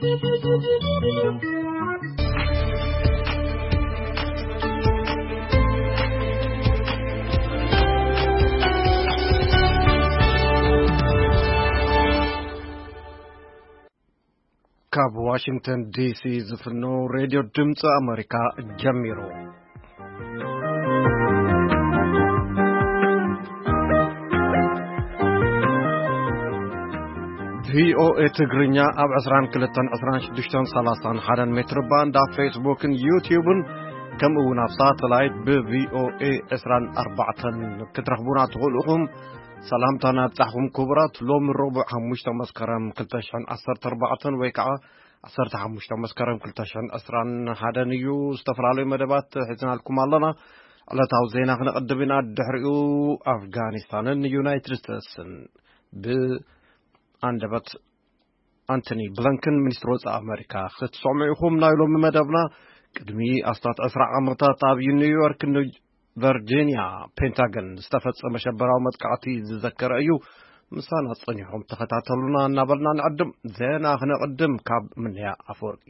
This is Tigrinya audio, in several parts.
ካብ ዋሽንግተን ዲሲ ዝፍኖ ሬድዮ ድምፂ ኣሜሪካ ጀሚሩ። ቪኦኤ ትግርኛ ኣብ ዕስራን ክልተን ዕስራን ሽዱሽተን ሰላሳን ሓደን ሜትር ባንድ፣ ኣብ ፌስቡክን ዩትዩብን፣ ከምኡ እውን ኣብ ሳተላይት ብቪኦኤ ዕስራን ኣርባዕተን ክትረኽቡና ትኽእሉ ኢኹም። ሰላምታና ኣብጻሕኩም ክቡራት። ሎሚ ረቡዕ ሓሙሽተ መስከረም ክልተ ሽሕን ዓሰርተ ኣርባዕተን ወይ ከዓ ዓሰርተ ሓሙሽተ መስከረም ክልተ ሽሕን ዕስራን ሓደን እዩ። ዝተፈላለዩ መደባት ሒዝናልኩም ኣለና። ዕለታዊ ዜና ክነቐድም ኢና። ድሕሪኡ ኣፍጋኒስታንን ዩናይትድ ስቴትስን ብኣንደበት ኣንቶኒ ብለንከን፣ ሚኒስትሪ ወጻኢ ኣመሪካ፣ ክትሰምዑ ኢኹም። ናይ ሎሚ መደብና ቅድሚ ኣስታት ዕስራ ዓመታት ኣብ ኒውዮርክ ቨርጂንያ ፔንታገን ዝተፈጸመ ሸበራዊ መጥቃዕቲ ዝዘከረ እዩ። ምሳና ጸኒሖም ተኸታተሉና እናበልና ንዕድም። ዜና ክነቕድም ካብ ምንያ ኣፈወርቂ።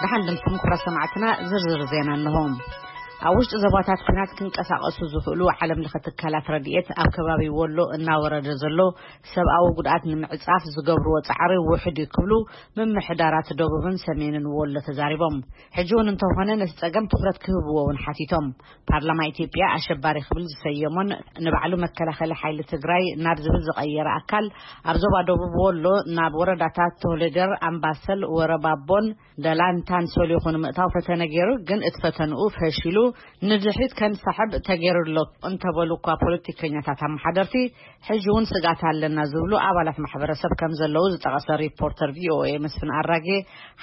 ደሓን ድምፅኩም ክቡራት ሰማዕትና፣ ዝርዝር ዜና እንሆ። ኣብ ውሽጢ ዞባታት ኲናት ክንቀሳቐሱ ዝኽእሉ ዓለም ለኸ ትካላት ረድኤት ኣብ ከባቢ ወሎ እናወረደ ዘሎ ሰብኣዊ ጉድኣት ንምዕጻፍ ዝገብርዎ ጻዕሪ ውሑድ እዩ ክብሉ ምምሕዳራት ደቡብን ሰሜንን ወሎ ተዛሪቦም። ሕጂ እውን እንተኾነ ነቲ ጸገም ትኹረት ክህብዎ እውን ሓቲቶም። ፓርላማ ኢትዮጵያ ኣሸባሪ ክብል ዝሰየሞን ንባዕሉ መከላኸሊ ሓይሊ ትግራይ ናብ ዝብል ዝቐየረ ኣካል ኣብ ዞባ ደቡብ ወሎ ናብ ወረዳታት ቶሌደር፣ ኣምባሰል፣ ወረባቦን ደላንታን ሰሊኹ ንምእታው ፈተነ ገይሩ፣ ግን እቲ ፈተንኡ ፈሺሉ ንድሕሪት ከንሳሕብ ተገይሩ ኣሎ እንተበሉ እኳ ፖለቲከኛታት ኣመሓደርቲ፣ ሕጂ እውን ስግኣት ኣለና ዝብሉ ኣባላት ማሕበረሰብ ከም ዘለዉ ዝጠቐሰ ሪፖርተር ቪኦኤ መስፍን ኣራጌ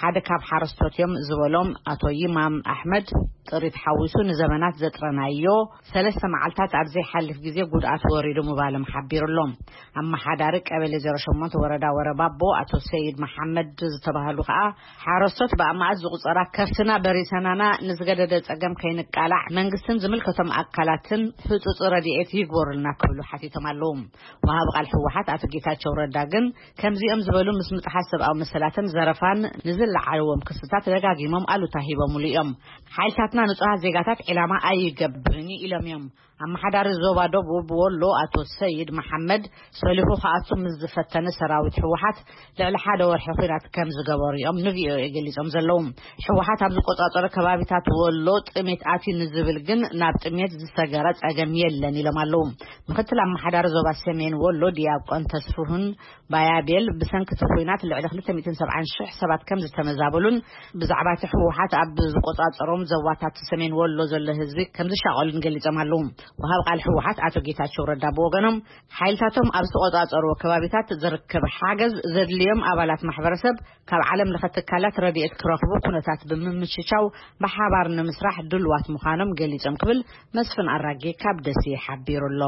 ሓደ ካብ ሓረስቶት እዮም ዝበሎም ኣቶ ይማም ኣሕመድ፣ ጥሪት ሓዊሱ ንዘመናት ዘጥረናዮ ሰለስተ መዓልታት ኣብ ዘይሓልፍ ግዜ ጉድኣት ወሪዱ ምባሎም ሓቢሩ ኣሎ። ኣመሓዳሪ ቀበሌ ዜሮ ሸሞንተ ወረዳ ወረባቦ ኣቶ ሰይድ መሓመድ ዝተባህሉ ከኣ፣ ሓረስቶት ብኣማእት ዝቑጸራ ከፍትና በሪሰናና፣ ንዝገደደ ጸገም ከይንቃላዕ መንግስትን ዝምልከቶም ኣካላትን ህጹጽ ረድኤት ይግበሩልና ክብሉ ሓቲቶም ኣለዉ። ወሃቢ ቃል ህወሓት ኣቶ ጌታቸው ረዳ ግን ከምዚኦም ዝበሉ ምስ ምጥሓስ ሰብኣዊ መሰላትን ዘረፋን ንዝለዓልዎም ክስታት ደጋጊሞም ኣሉታ ሂቦምሉ እዮም። ሓይልታትና ንጹሃት ዜጋታት ዒላማ ኣይገብርን ኢሎም እዮም። ኣመሓዳሪ ዞባ ደቡብ ወሎ ኣቶ ሰይድ መሓመድ ሰሊኹ ክኣቱ ምስ ዝፈተነ ሰራዊት ህወሓት ልዕሊ ሓደ ወርሒ ኲናት ከም ዝገበሩ እዮም ንቪኦኤ ገሊጾም ዘለዉ። ህወሓት ኣብ ዝቆጻጸሮ ከባቢታት ወሎ ጥሜት ኣትዩ ንዝብል ግን ናብ ጥሜት ዝሰገረ ጸገም የለን ኢሎም ኣለዉ። ምክትል ኣመሓዳሪ ዞባ ሰሜን ወሎ ዲያቆን ተስፍሁን ባያቤል ብሰንኪ እቲ ኲናት ልዕሊ ክልተ ሚእትን ሰብዓን ሽሕ ሰባት ከም ዝተመዛበሉን ብዛዕባ እቲ ህወሓት ኣብ ዝቆጻጸሮም ዞባታት ሰሜን ወሎ ዘሎ ህዝቢ ከም ዝሻቐሉን ገሊጾም ኣለዉ። ወሃብ ቃል ህወሓት ኣቶ ጌታቸው ረዳ ብወገኖም፣ ሓይልታቶም ኣብ ዝተቆጻጸርዎ ከባቢታት ዝርከብ ሓገዝ ዘድልዮም ኣባላት ማሕበረሰብ ካብ ዓለም ለኸ ትካላት ረድኤት ክረኽቡ ኩነታት ብምምችቻው ብሓባር ንምስራሕ ድልዋት ምዃኖም ገሊጾም ክብል መስፍን ኣራጌ ካብ ደሴ ሓቢሩ ኣሎ።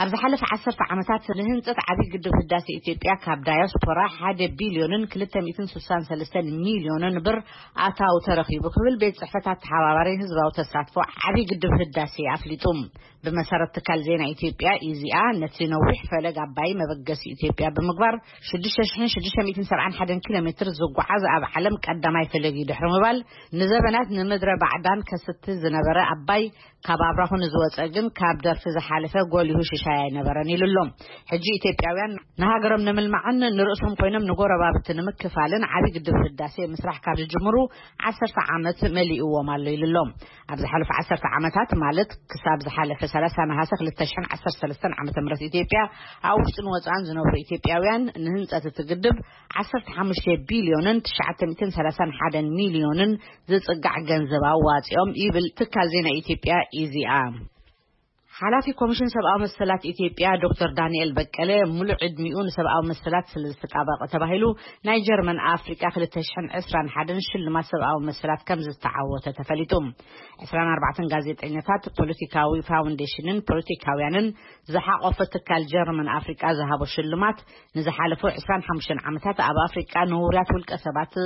ኣብ ዝሓለፈ ዓሰርተ ዓመታት ንህንጸት ዓብዪ ግድብ ህዳሴ ኢትዮጵያ ካብ ዳያስፖራ ሓደ ቢልዮንን ክልተ ሚእትን ስሳን ሰለስተን ሚልዮንን ብር ኣታዊ ተረኺቡ ክብል ቤት ጽሕፈት ኣተሓባባሪ ህዝባዊ ተሳትፎ ዓብዪ ግድብ ህዳሴ ኣፍሊጡ። ብመሰረት ትካል ዜና ኢትዮጵያ ኢዜኣ፣ ነቲ ነዊሕ ፈለግ ኣባይ መበገሲ ኢትዮጵያ ብምግባር ሽዱሽተ ሽሕን ሽዱሽተ ሚእትን ሰብዓን ሓደን ኪሎ ሜትር ዝጓዓዝ ኣብ ዓለም ቀዳማይ ፈለግ እዩ ድሕሪ ምባል፣ ንዘበናት ንምድረ ባዕዳን ከስቲ ዝነበረ ኣባይ ካብ ኣብራኹ ንዝወፀ ግን ካብ ደርፊ ዝሓለፈ ጎሊሁ ሽሻይ ኣይነበረን ኢሉ ኣሎ። ሕጂ ኢትዮጵያውያን ንሃገሮም ንምልማዕን ንርእሶም ኮይኖም ንጎረባብቲ ንምክፋልን ዓብዪ ግድብ ህዳሴ ምስራሕ ካብ ዝጅምሩ ዓሰርተ ዓመት መሊእዎም ኣሎ ኢሉ ኣሎ። ኣብ ዝሓለፉ ዓሰርተ ዓመታት፣ ማለት ክሳብ ዝሓለፈ ሰላሳ ነሓሰ ክልተ ሽሕን ዓሰርተ ሰለስተን ዓመተ ምህረት፣ ኢትዮጵያ ኣብ ውሽጥን ወጻእን ዝነብሩ ኢትዮጵያውያን ንህንጸት እቲ ግድብ ዓሰርተ ሓሙሽተ ቢልዮንን ትሽዓተ ሚእትን ሰላሳን ሓደን ሚልዮንን ዝጽጋዕ ገንዘብ ኣዋጺኦም ይብል ትካል ዜና ኢትዮጵያ ኢዜኣ። ሓላፊ ኮሚሽን ሰብኣዊ መሰላት ኢትዮጵያ ዶክተር ዳንኤል በቀለ፣ ሙሉእ ዕድሚኡ ንሰብኣዊ መሰላት ስለ ዝተጣበቐ ተባሂሉ ናይ ጀርመን ኣፍሪቃ ክልተ ሽሕን ዕስራን ሓደን ሽልማት ሰብኣዊ መሰላት ከም ዝተዓወተ ተፈሊጡ። ዕስራን ኣርባዕተን ጋዜጠኛታት፣ ፖለቲካዊ ፋውንዴሽንን ፖለቲካውያንን ዝሓቆፈ ትካል ጀርመን ኣፍሪቃ ዝሃቦ ሽልማት፣ ንዝሓለፉ ዕስራን ሓሙሽተን ዓመታት ኣብ ኣፍሪቃ ንውሩያት ውልቀ ሰባት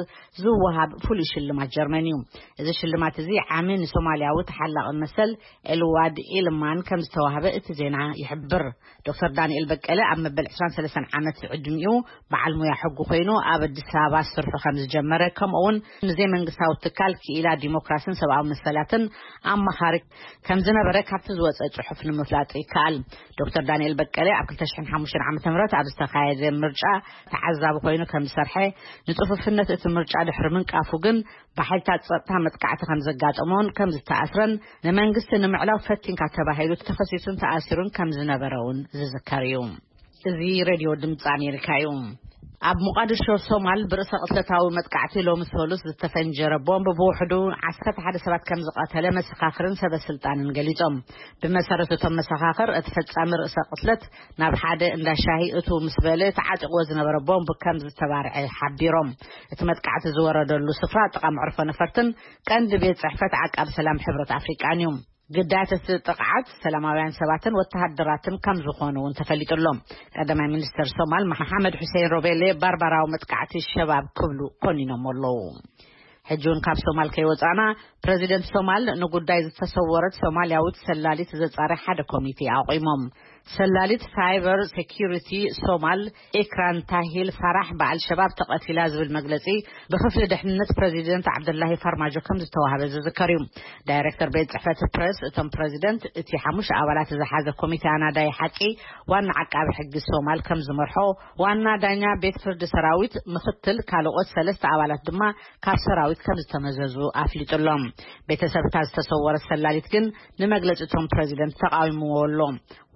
ዝወሃብ ፍሉይ ሽልማት ጀርመን እዩ። እዚ ሽልማት እዚ ዓሚ ንሶማልያዊ ተሓላቒ መሰል ኤልዋድ ኢልማን ከም ዝተዋህበ እቲ ዜና ይሕብር። ዶክተር ዳንኤል በቀለ ኣብ መበል ዕስራን ሰለስተን ዓመት ዕድሚኡ በዓል ሙያ ሕጉ ኮይኑ ኣብ ኣዲስ ኣበባ ስርሑ ከም ዝጀመረ፣ ከምኡ እውን ንዘይ መንግስታዊ ትካል ክኢላ ዲሞክራሲን ሰብኣዊ መሰላትን ኣማኻሪ ከም ዝነበረ ካብቲ ዝወፀ ጽሑፍ ንምፍላጥ ይከኣል። ዶክተር ዳንኤል በቀለ ኣብ ክልተ ሽሕን ሓሙሽተን ዓመተ ምህረት ኣብ ዝተኻየደ ምርጫ ተዓዛቢ ኮይኑ ከም ዝሰርሐ፣ ንጽፉፍነት እቲ ምርጫ ድሕሪ ምንቃፉ ግን ብሓይልታት ጸጥታ መጥቃዕቲ ከም ዘጋጠሞን ከም ዝተኣስረን፣ ንመንግስቲ ንምዕላው ፈቲንካ ተባሂሉ ተኸሲሱን ተኣሲሩን ከም ዝነበረ እውን ዝዝከር እዩ። እዚ ሬድዮ ድምፂ ኣሜሪካ እዩ። ኣብ ሞቃዲሾ ሶማል ብርእሰ ቅትለታዊ መጥቃዕቲ ሎሚ ሰሉስ ዝተፈንጀረ ቦምብ ብውሕዱ ዓሰርተ ሓደ ሰባት ከም ዝቐተለ መሰኻኽርን ሰበ ስልጣንን ገሊጾም። ብመሰረት እቶም መሰኻኽር፣ እቲ ፈጻሚ ርእሰ ቅትለት ናብ ሓደ እንዳ ሻሂ እትው ምስ በለ ተዓጢቕዎ ዝነበረ ቦምብ ከም ዝተባርዐ ሓቢሮም። እቲ መጥቃዕቲ ዝወረደሉ ስፍራ ጥቓ መዕርፎ ነፈርትን ቀንዲ ቤት ጽሕፈት ዓቃብ ሰላም ሕብረት ኣፍሪቃን እዩ። ግዳያት እቲ ጥቕዓት ሰላማውያን ሰባትን ወተሃደራትን ከም ዝኾኑ እውን ተፈሊጡ ኣሎ። ቀዳማይ ሚኒስተር ሶማል መሓመድ ሑሴን ሮቤሌ ባርባራዊ መጥቃዕቲ ሸባብ ክብሉ ኮኒኖም ኣለዉ። ሕጂ እውን ካብ ሶማል ከይወጻና፣ ፕረዚደንት ሶማል ንጉዳይ ዝተሰወረት ሶማልያዊት ሰላሊት ዘጻሪ ሓደ ኮሚቴ ኣቑሞም። ሰላሊት ሳይበር ሴኪሪቲ ሶማል ኤክራን ታሂል ፋራሕ ብኣልሸባብ ተቐቲላ ዝብል መግለጺ ብክፍሊ ድሕንነት ፕረዚደንት ዓብደላሂ ፋርማጆ ከም ዝተዋህበ ዝዝከር እዩ። ዳይሬክተር ቤት ጽሕፈት ፕረስ እቶም ፕረዚደንት፣ እቲ ሓሙሽተ ኣባላት ዝሓዘ ኮሚቴ ኣናዳይ ሓቂ ዋና ዓቃቢ ሕጊ ሶማል ከም ዝመርሖ፣ ዋና ዳኛ ቤት ፍርዲ ሰራዊት፣ ምክትል ካልኦት ሰለስተ ኣባላት ድማ ካብ ሰራዊት ከም ዝተመዘዙ ኣፍሊጡ ኣሎ። ቤተሰብ እታ ዝተሰወረት ሰላሊት ግን ንመግለጺ እቶም ፕረዚደንት ተቃዊምዎ ኣሎ።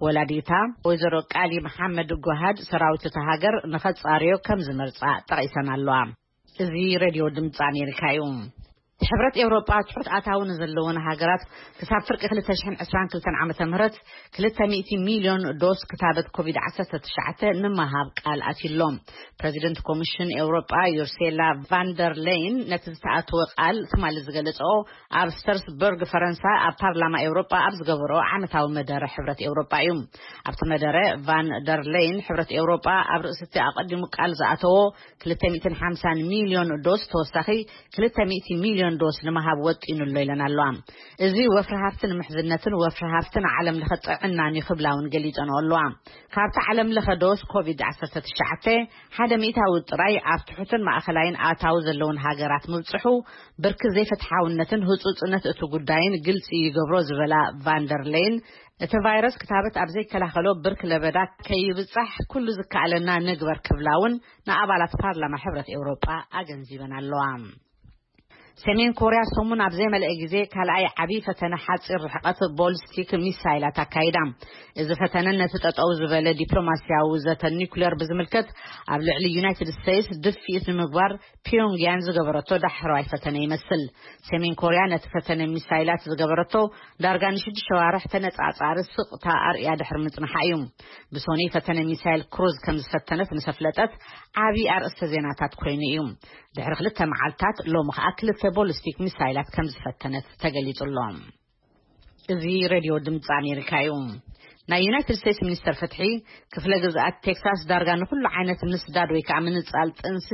ወላዲታ ወይዘሮ ቃሊ መሓመድ ጓሃድ፣ ሰራዊት እታ ሃገር ንኸጻርዮ ከም ዝመርጻ ጠቒሰን ኣለዋ። እዚ ሬድዮ ድምፂ ኣሜሪካ እዩ። ሕብረት ኤውሮጳ ትሑት ኣታዊ ንዘለወን ሃገራት ክሳብ ፍርቂ ክልተ ሽሕን ዕስራን ክልተን ዓመተ ምህረት ክልተ ሚእቲ ሚልዮን ዶስ ክታበት ኮቪድ ዓሰርተ ትሽዓተ ንምሃብ ቃል ኣትዩ ኣሎ። ፕረዚደንት ኮሚሽን ኤውሮጳ ዩርሴላ ቫንደር ሌይን ነቲ ዝተኣተወ ቃል ትማሊ ዝገለጸኦ ኣብ ስተርስበርግ ፈረንሳ ኣብ ፓርላማ ኤውሮጳ ኣብ ዝገበረኦ ዓመታዊ መደረ ሕብረት ኤውሮጳ እዩ። ኣብቲ መደረ ቫን ደር ሌይን፣ ሕብረት ኤውሮጳ ኣብ ርእሲ እቲ ኣቐዲሙ ቃል ዝኣተዎ ክልተ ሚእትን ሓምሳን ሚልዮን ዶስ ተወሳኺ ክልተ ሚእቲ ሚልዮን ዶስ ንምሃብ ወጢኑ ኣሎ ኢለን ኣለዋ። እዚ ወፍሪ ሃፍቲ ንምሕዝነትን ወፍሪ ሃፍትን ዓለም ለኸ ጥዕናን እዩ ክብላ እውን ገሊጸንኦ ኣለዋ። ካብቲ ዓለም ለኸ ዶስ ኮቪድ ዓሰርተ ትሽዓተ ሓደ ሚእታዊ ጥራይ ኣብ ትሑትን ማእኸላይን ኣታዊ ዘለውን ሃገራት ምብጽሑ፣ ብርኪ ዘይፍትሓውነትን ህጹጽነት እቲ ጉዳይን ግልጺ ይገብሮ ዝበላ ቫንደር ሌይን፣ እቲ ቫይረስ ክታበት ኣብ ዘይከላኸሎ ብርኪ ለበዳ ከይብጻሕ ኩሉ ዝከኣለና ንግበር ክብላ እውን ንኣባላት ፓርላማ ሕብረት ኤውሮጳ ኣገንዚበን ኣለዋ። ሰሜን ኮርያ ሰሙን ኣብ ዘይመልአ ግዜ ካልኣይ ዓቢ ፈተነ ሓጺር ርሕቀት ቦሊስቲክ ሚሳይላት ኣካይዳ። እዚ ፈተነ ነቲ ጠጠው ዝበለ ዲፕሎማስያዊ ዘተ ኒኩሌር ብዝምልከት ኣብ ልዕሊ ዩናይትድ ስቴትስ ድፍኢት ንምግባር ፒዮንግያንግ ዝገበረቶ ዳሕረዋይ ፈተነ ይመስል። ሰሜን ኮርያ ነቲ ፈተነ ሚሳይላት ዝገበረቶ ዳርጋ ንሽዱሽተ ዋርሕ ተነጻጻሪ ስቕታ ኣርእያ ድሕሪ ምጽንሓ እዩ። ብሶኒ ፈተነ ሚሳይል ክሩዝ ከም ዝፈተነት ምስ ኣፍለጠት ዓቢ ኣርእስተ ዜናታት ኮይኑ እዩ። ድሕሪ ክልተ መዓልታት ሎሚ ከኣ ክልተ ቦሊስቲክ ሚሳይላት ከም ዝፈተነት ተገሊጹ ኣሎ። እዚ ሬድዮ ድምፂ ኣሜሪካ እዩ። ናይ ዩናይትድ ስቴትስ ሚኒስተር ፍትሒ፣ ክፍለ ግዝኣት ቴክሳስ ዳርጋ ንኹሉ ዓይነት ምስዳድ ወይ ከዓ ምንጻል ጥንሲ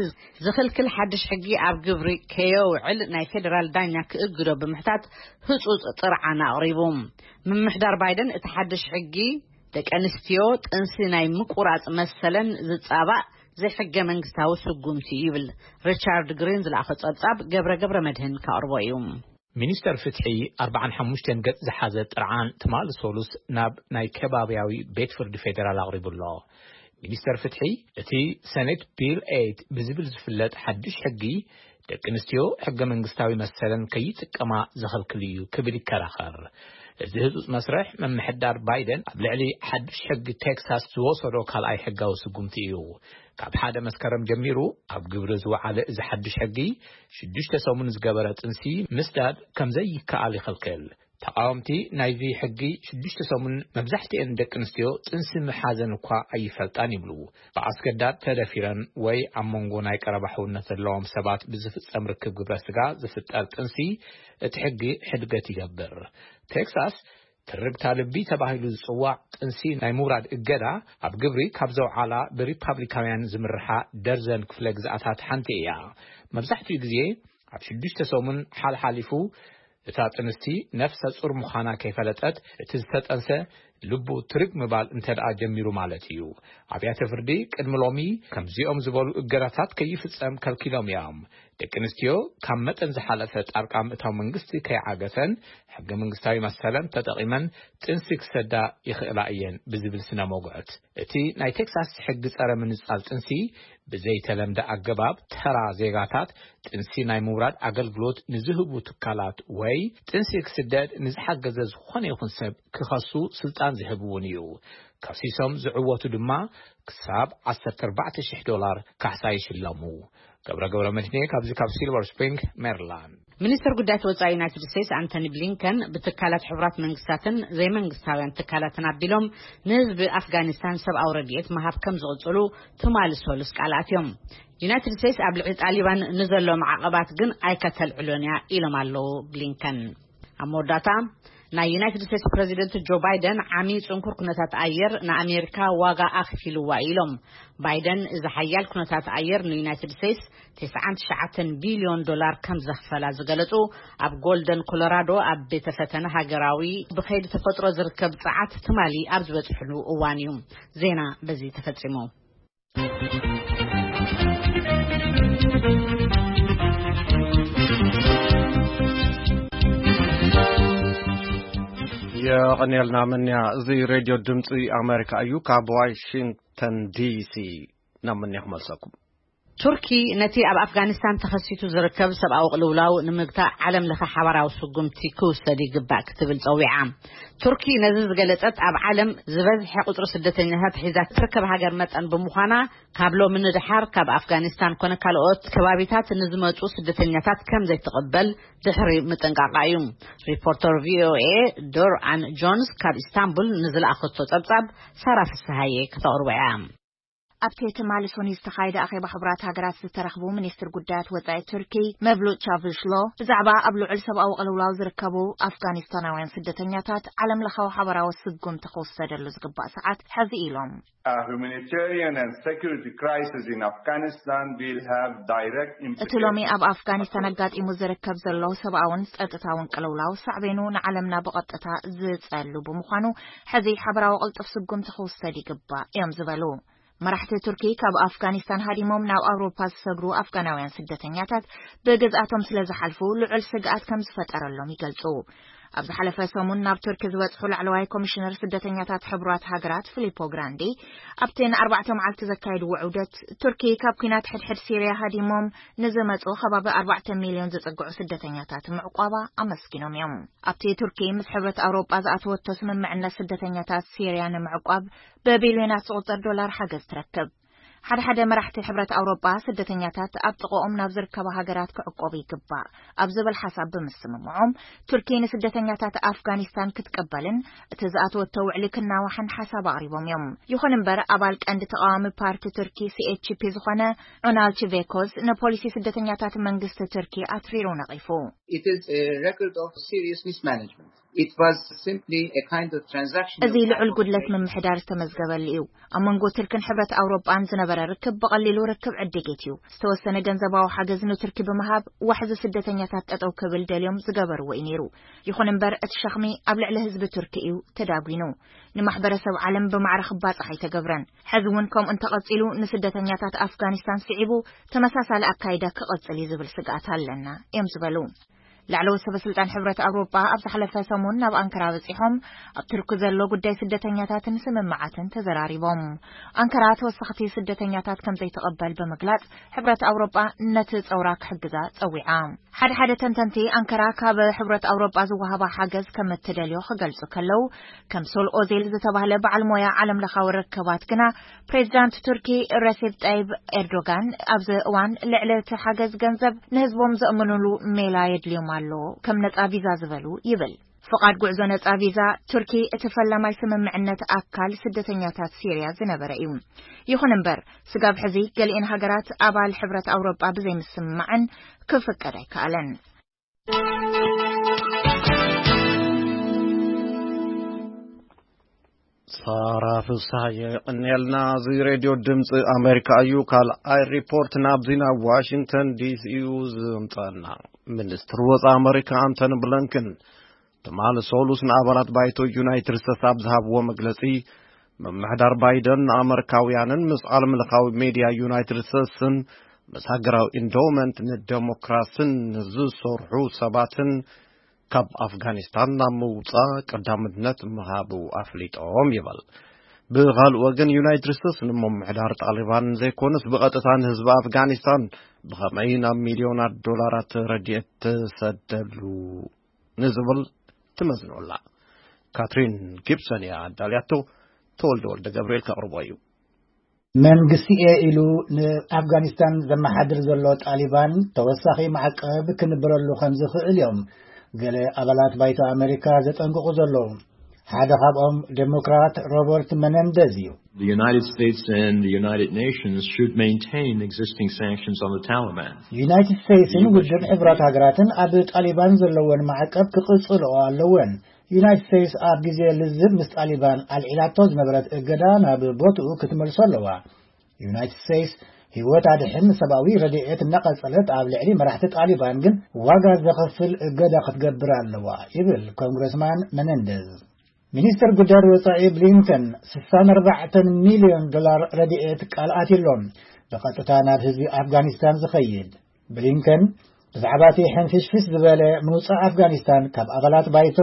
ዝኽልክል ሓድሽ ሕጊ ኣብ ግብሪ ከየውዕል ናይ ፌደራል ዳኛ ክእግዶ ብምሕታት ህጹጽ ጥርዓን ኣቕሪቡ። ምምሕዳር ባይደን እቲ ሓድሽ ሕጊ ደቂ ኣንስትዮ ጥንሲ ናይ ምቁራጽ መሰለን ዝጻባእ ዘይሕገ መንግስታዊ ስጉምቲ ይብል። ሪቻርድ ግሪን ዝለኣኸ ጸብጻብ ገብረ ገብረ መድህን ከቕርቦ እዩ። ሚኒስተር ፍትሒ ኣርባዓን ሓሙሽተን ገጽ ዝሓዘ ጥርዓን ትማሊ ሰሉስ ናብ ናይ ከባብያዊ ቤት ፍርዲ ፌደራል ኣቕሪቡ ኣሎ። ሚኒስተር ፍትሒ፣ እቲ ሰኔት ቢል ኤይት ብዝብል ዝፍለጥ ሓድሽ ሕጊ፣ ደቂ ኣንስትዮ ሕገ መንግስታዊ መሰለን ከይጥቀማ ዘኸልክል እዩ ክብል ይከራኸር። እዚ ህጹጽ መስርሕ ምምሕዳር ባይደን ኣብ ልዕሊ ሓድሽ ሕጊ ቴክሳስ ዝወሰዶ ካልኣይ ሕጋዊ ስጉምቲ እዩ። ካብ ሓደ መስከረም ጀሚሩ ኣብ ግብሪ ዝወዓለ እዚ ሓድሽ ሕጊ፣ ሽዱሽተ ሰሙን ዝገበረ ጥንሲ ምስዳድ ከም ዘይከኣል ይኸልክል። ተቓወምቲ ናይዚ ሕጊ ሽዱሽተ ሰሙን መብዛሕትኤን ደቂ ኣንስትዮ ጥንሲ ምሓዘን እኳ ኣይፈልጣን ይብሉ። ብኣስገዳድ ተደፊረን ወይ ኣብ መንጎ ናይ ቀረባ ሕውነት ዘለዎም ሰባት ብዝፍጸም ርክብ ግብረ ስጋ ዝፍጠር ጥንሲ እቲ ሕጊ ሕድገት ይገብር። ቴክሳስ ትርግታ ልቢ ተባሂሉ ዝጽዋዕ ጥንሲ ናይ ምውራድ እገዳ ኣብ ግብሪ ካብ ዘውዓላ ብሪፓብሊካውያን ዝምርሓ ደርዘን ክፍለ ግዝኣታት ሓንቲ እያ። መብዛሕትኡ ግዜ ኣብ ሽዱሽተ ሰሙን ሓልሓሊፉ እታ ጥንስቲ ነፍሰ ጹር ምዃና ከይፈለጠት፣ እቲ ዝተጠንሰ ልቡ ትርግ ምባል እንተ ደኣ ጀሚሩ ማለት እዩ። ኣብያተ ፍርዲ ቅድሚ ሎሚ ከምዚኦም ዝበሉ እገዳታት ከይፍጸም ከልኪሎም እዮም። ደቂ ኣንስትዮ ካብ መጠን ዝሓለፈ ጣልቃ ምእታው መንግስቲ ከይዓገተን፣ ሕገ መንግስታዊ መሰለን ተጠቒመን ጥንሲ ክሰዳ ይኽእላ እየን ብዝብል ስነ መጉዕት፣ እቲ ናይ ቴክሳስ ሕጊ ጸረ ምንጻል ጥንሲ፣ ብዘይተለምደ ኣገባብ ተራ ዜጋታት ጥንሲ ናይ ምውራድ ኣገልግሎት ንዝህቡ ትካላት ወይ ጥንሲ ክስደድ ንዝሓገዘ ዝኾነ ይኹን ሰብ ክኸሱ ስልጣን ዝህብ እውን እዩ። ከሲሶም ዝዕወቱ ድማ ክሳብ ዓሰርተ ኣርባዕተ ሽሕ ዶላር ካሕሳ ይሽለሙ። ገብረ ገብረ መድህኔ ካብዚ ካብ ሲልቨር ስፕሪንግ ሜሪላንድ። ሚኒስትር ጉዳያት ወጻኢ ዩናይትድ ስቴትስ ኣንቶኒ ብሊንከን ብትካላት ሕቡራት መንግስታትን ዘይመንግስታውያን ትካላትን ኣቢሎም ንህዝቢ ኣፍጋኒስታን ሰብኣዊ ረድኤት ምሃብ ከም ዝቕጽሉ ትማሊ ሰሉስ ቃል ኣትዮም። ዩናይትድ ስቴትስ ኣብ ልዕሊ ጣሊባን ንዘሎ ማዕቐባት ግን ኣይከተልዕሎን እያ ኢሎም ኣለዉ ብሊንከን። ኣብ መወዳእታ፣ ናይ ዩናይትድ ስቴትስ ፕረዚደንት ጆ ባይደን ዓሚ ጽንኩር ኩነታት ኣየር ንኣሜሪካ ዋጋ ኣኽፊልዋ ኢሎም። ባይደን እዚ ሓያል ኩነታት ኣየር ንዩናይትድ ስቴትስ ተስዓን ትሽዓተን ቢልዮን ዶላር ከም ዘኽፈላ ዝገለጹ፣ ኣብ ጎልደን ኮሎራዶ ኣብ ቤተ ፈተነ ሃገራዊ ብኸይዲ ተፈጥሮ ዝርከብ ጸዓት ትማሊ ኣብ ዝበጽሕሉ እዋን እዩ። ዜና በዚ ተፈጺሙ። የቐንየልና ምንያ። እዚ ሬድዮ ድምፂ ኣሜሪካ እዩ። ካብ ዋሽንግተን ዲሲ ናብ ምንያ ክመልሰኩም። ቱርኪ ነቲ ኣብ ኣፍጋኒስታን ተኸሲቱ ዝርከብ ሰብኣዊ ቅልውላው ንምግታእ ዓለም ለኸ ሓባራዊ ስጉምቲ ክውሰድ ይግባእ ክትብል ጸዊዓ። ቱርኪ ነዚ ዝገለጸት፣ ኣብ ዓለም ዝበዝሐ ቁጽሪ ስደተኛታት ሒዛ ትርከብ ሃገር መጠን ብምዃና፣ ካብ ሎሚ ንድሓር ካብ ኣፍጋኒስታን ኮነ ካልኦት ከባቢታት ንዝመጹ ስደተኛታት ከም ዘይትቕበል ድሕሪ ምጥንቃቓ እዩ። ሪፖርተር ቪ ኦ ኤ ዶር ኣን ጆንስ ካብ ኢስታንቡል ንዝለኣኸቶ ጸብጻብ ሳራ ፍስሃየ ከተቕርቦ እያ። ኣብቲ ትማሊ ሰኑይ ዝተኻየደ ኣኼባ ሕቡራት ሃገራት ዝተረኽቡ ሚኒስትር ጉዳያት ወጻኢ ቱርኪ መቭሉት ቻቪሽሎ፣ ብዛዕባ ኣብ ልዑል ሰብኣዊ ቅልውላው ዝርከቡ ኣፍጋኒስታናውያን ስደተኛታት ዓለም ለኻዊ ሓበራዊ ስጉምቲ ክውሰደሉ ዝግባእ ሰዓት ሕዚ ኢሎም። A humanitarian and security crisis in Afghanistan will have direct እቲ ሎሚ implications ኣብ ኣፍጋኒስታን ኣጋጢሙ ዝርከብ ዘሎ ሰብኣውን ጸጥታውን ቅልውላው ሳዕቤኑ ንዓለምና ብቐጥታ ዝጸሉ ብምዃኑ፣ ሕዚ ሓበራዊ ቅልጡፍ ስጉምቲ ክውሰድ ይግባእ እዮም ዝበሉ። መራሕቲ ቱርኪ ካብ ኣፍጋኒስታን ሃዲሞም ናብ ኣውሮፓ ዝሰግሩ ኣፍጋናውያን ስደተኛታት ብግዝኣቶም ስለ ዝሓልፉ ልዑል ስግኣት ከም ዝፈጠረሎም ይገልጹ። ኣብ ዝሓለፈ ሰሙን ናብ ቱርኪ ዝበጽሑ ላዕለዋይ ኮሚሽነር ስደተኛታት ሕቡራት ሃገራት ፊሊፖ ግራንዲ ኣብቲ ንኣርባዕተ መዓልቲ ዘካየድዎ ዑደት፣ ቱርኪ ካብ ኲናት ሕድሕድ ሲርያ ሃዲሞም ንዝመጹ ከባቢ ኣርባዕተ ሚልዮን ዝጽግዑ ስደተኛታት ምዕቋባ ኣመስጊኖም እዮም። ኣብቲ ቱርኪ ምስ ሕብረት ኣውሮጳ ዝኣተወቶ ስምምዕነት ስደተኛታት ሲርያ ንምዕቋብ ብቢልዮናት ዝቑጸር ዶላር ሓገዝ ትረክብ። ሓደ ሓደ መራሕቲ ሕብረት ኣውሮጳ ስደተኛታት ኣብ ጥቕኦም ናብ ዝርከባ ሃገራት ክዕቆቡ ይግባእ ኣብ ዝብል ሓሳብ ብምስምምዖም፣ ቱርኪ ንስደተኛታት ኣፍጋኒስታን ክትቅበልን እቲ ዝኣተወቶ ውዕሊ ክናዋሕን ሓሳብ ኣቕሪቦም እዮም። ይኹን እምበር፣ ኣባል ቀንዲ ተቓዋሚ ፓርቲ ቱርኪ ሲ ኤች ፒ ዝኾነ ዑናል ቺቬኮዝ ንፖሊሲ ስደተኛታት መንግስቲ ቱርኪ ኣትሪሩ ነቒፉ። It is a record of serious mismanagement. It was simply a kind of transaction እዚ of ልዑል ጉድለት ምምሕዳር ዝተመዝገበሉ እዩ። ኣብ መንጎ ቱርክን ሕብረት ኣውሮጳን ዝነበረ ርክብ ብቐሊሉ ርክብ ዕድጌት እዩ። ዝተወሰነ ገንዘባዊ ሓገዝ ንቱርኪ ብምሃብ ዋሕዚ ስደተኛታት ጠጠው ክብል ደልዮም ዝገበርዎ እዩ ነይሩ። ይኹን እምበር እቲ ሸኽሚ ኣብ ልዕሊ ህዝቢ ቱርኪ እዩ ተዳጒኑ። ንማሕበረሰብ ዓለም ብማዕረ ክባጻሕ ኣይተገብረን። ሕዚ እውን ከምኡ እንተቐጺሉ ንስደተኛታት ኣፍጋኒስታን ስዒቡ ተመሳሳሊ ኣካይዳ ክቐጽል እዩ ዝብል ስግኣት ኣለና እዮም ዝበሉ። ላዕለዎት ሰበ ስልጣን ሕብረት ኣውሮጳ ኣብ ዝሓለፈ ሰሙን ናብ ኣንካራ በጺሖም ኣብ ቱርኪ ዘሎ ጉዳይ ስደተኛታትን ስምምዓትን ተዘራሪቦም። ኣንካራ ተወሰኽቲ ስደተኛታት ከም ዘይትቐበል ብምግላጽ ሕብረት ኣውሮጳ ነቲ ጸውራ ክሕግዛ ጸዊዓ። ሓደ ሓደ ተንተንቲ ኣንካራ ካብ ሕብረት ኣውሮጳ ዝወሃባ ሓገዝ ከም እትደልዮ ክገልጹ ከለዉ፣ ከም ሶል ኦዜል ዝተባህለ በዓል ሞያ ዓለም ለኻዊ ርክባት ግና ፕሬዚዳንት ቱርኪ ረሴፕ ጣይብ ኤርዶጋን ኣብዚ እዋን ልዕሊ እቲ ሓገዝ ገንዘብ ንህዝቦም ዘእምኑሉ ሜላ የድልዮም ኣሎ፣ ከም ነጻ ቪዛ ዝበሉ ይብል። ፍቓድ ጉዕዞ ነጻ ቪዛ ቱርኪ እቲ ፈላማይ ስምምዕነት ኣካል ስደተኛታት ሲርያ ዝነበረ እዩ። ይኹን እምበር፣ ስጋብ ሕዚ ገሊኤን ሃገራት ኣባል ሕብረት ኣውሮጳ ብዘይምስምማዐን ክፍቀድ ኣይከኣለን። ሳራ ፍስሃየ የቐንየልና። እዚ ሬድዮ ድምፂ ኣሜሪካ እዩ። ካልኣይ ሪፖርት ናብዚ ናብ ዋሽንግተን ዲሲ እዩ ዝምፀና። ሚኒስትር ወጻኢ ኣመሪካ ኣንቶኒ ብሊንከን ትማሊ ሰሉስ ንኣባላት ባይቶ ዩናይትድ ስቴትስ ኣብ ዝሃብዎ መግለጺ፣ ምምሕዳር ባይደን ንኣመሪካውያንን ምስ ዓለም ለኻዊ ሜድያ ዩናይትድ ስቴትስን ምስ ሃገራዊ ኢንዶመንት ንደሞክራስን ዝሰርሑ ሰባትን ካብ ኣፍጋኒስታን ናብ ምውጻእ ቀዳምነት ምሃቡ ኣፍሊጦም ይብል። ብኻልእ ወገን፣ ዩናይትድ ስቴትስ ንምምሕዳር ጣሊባን ዘይኮነስ ብቐጥታ ንህዝቢ ኣፍጋኒስታን ብኸመይ ናብ ሚልዮናት ዶላራት ረድኤት ትሰደሉ ንዝብል ትመዝኖ ኣላ። ካትሪን ጊብሰን እያ ኣዳልያቶ። ተወልደ ወልደ ገብርኤል ከቕርቦ እዩ። መንግስቲ እየ ኢሉ ንኣፍጋኒስታን ዘመሓድር ዘሎ ጣሊባን ተወሳኺ ማዕቀብ ክንበረሉ ከም ዝኽእል እዮም ገለ ኣባላት ባይቶ ኣመሪካ ዘጠንቅቑ ዘለዉ። ሓደ ካብኦም ዴሞክራት ሮበርት መነንደዝ እዩ። The United States and the United Nations should maintain existing sanctions on the Taliban. ዩናይትድ ስቴትስን ውድብ ሕቡራት ሃገራትን ኣብ ጣሊባን ዘለወን ማዕቀብ ክቕጽልኦ ኣለወን። ዩናይትድ ስቴትስ ኣብ ግዜ ልዝብ ምስ ጣሊባን ኣልዒላቶ ዝነበረት እገዳ ናብ ቦትኡ ክትመልሶ ኣለዋ። ዩናይትድ ስቴትስ ህይወት ኣድሕን ሰብኣዊ ረድኤት እናቐጸለት ኣብ ልዕሊ መራሕቲ ጣሊባን ግን ዋጋ ዘኸፍል እገዳ ክትገብር ኣለዋ ይብል ኮንግረስማን መነንደዝ። ሚኒስትር ጉዳያት ወጻኢ ብሊንከን ስሳን ኣርባዕተን ሚልዮን ዶላር ረድኤት ቃል ኣትዩሎም ብቐጥታ ናብ ህዝቢ ኣፍጋኒስታን ዝኸይድ። ብሊንከን ብዛዕባ እቲ ሕንፍሽፍሽ ዝበለ ምውጻእ ኣፍጋኒስታን ካብ ኣባላት ባይቶ